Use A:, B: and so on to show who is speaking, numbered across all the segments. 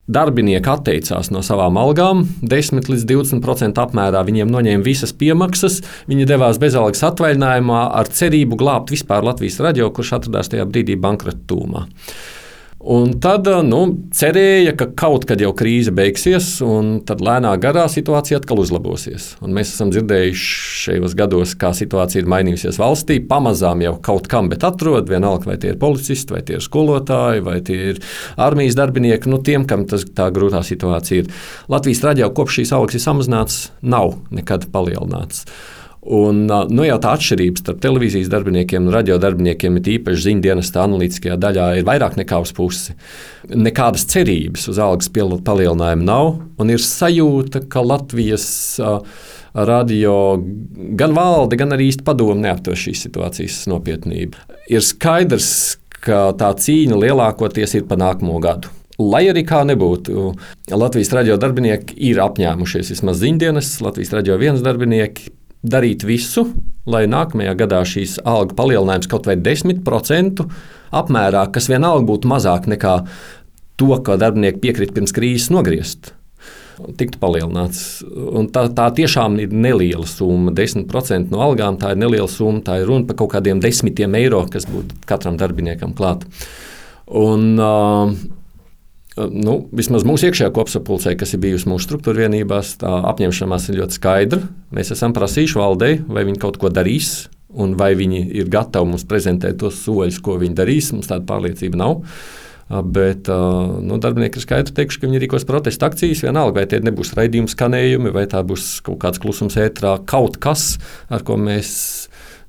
A: darbinieki atteicās no savām algām, 10 līdz 20% apmērā viņiem noņēma visas piemaksas, viņi devās bezalgas atvaļinājumā ar cerību glābt vispār Latvijas radio, kurš atradās tajā brīdī bankrota tūmā. Un tad cerēja, ka kaut kad jau krīze beigsies, un tad lēnā garā situācija atkal uzlabosies. Un mēs esam dzirdējuši šajos gados, kā situācija ir mainījusies valstī. Pamazām jau kaut kam, bet atrod vienalga, vai tie ir policisti, vai tie ir skolotāji, vai tie ir armijas darbinieki. Tiem, kam tā grūtā situācija ir. Latvijas radio kopš šīs algas ir samazināts, nav nekad palielināts. Un, jau tā atšķirība starp televīzijas darbiniekiem un radio darbiniekiem, ir īpaši ziņdienesta analītiskajā daļā, ir vairāk nekā uz pusi. Nekādas cerības uz algas palielinājumu nav, un ir sajūta, ka Latvijas radio gan valde, gan arī īsti padomu neaptver šīs situācijas nopietnību. Ir skaidrs, ka tā cīņa lielākoties ir pa nākamo gadu. Lai arī kā nebūtu, Latvijas radio darbinieki ir apņēmušies, vismaz ziņdienests, Latvijas radio 1 darbinieki, darīt visu, lai nākamajā gadā šīs algu palielinājums kaut vai 10% apmērā, kas vienalga būtu mazāk nekā to, ko darbinieki piekrita pirms krīzes nogriezt, tiktu palielināts. Un tā tiešām ir neliela summa. 10% no algām tā ir neliela summa, tā ir runa par kaut kādiem 10 eiro, kas būtu katram darbiniekam klāt. Un vismaz mūsu iekšējā kopsapulcē, kas ir bijusi mūsu struktūra vienībās, tā apņemšanās ir ļoti skaidra. Mēs esam prasījuši valdei, vai viņi kaut ko darīs, un vai viņi ir gatavi mums prezentēt tos soļus, ko viņi darīs. Mums tāda pārliecība nav. Bet darbinieki ir skaidri teikuši, ka viņi rīkos protesta akcijas, vienalga, vai tie nebūs raidījuma skanējumi, vai tā būs kaut kāds klusums ētrā, kaut kas, ar ko mēs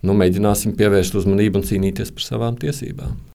A: mēģināsim pievērst uzmanību un cīnīties par savām tiesībām.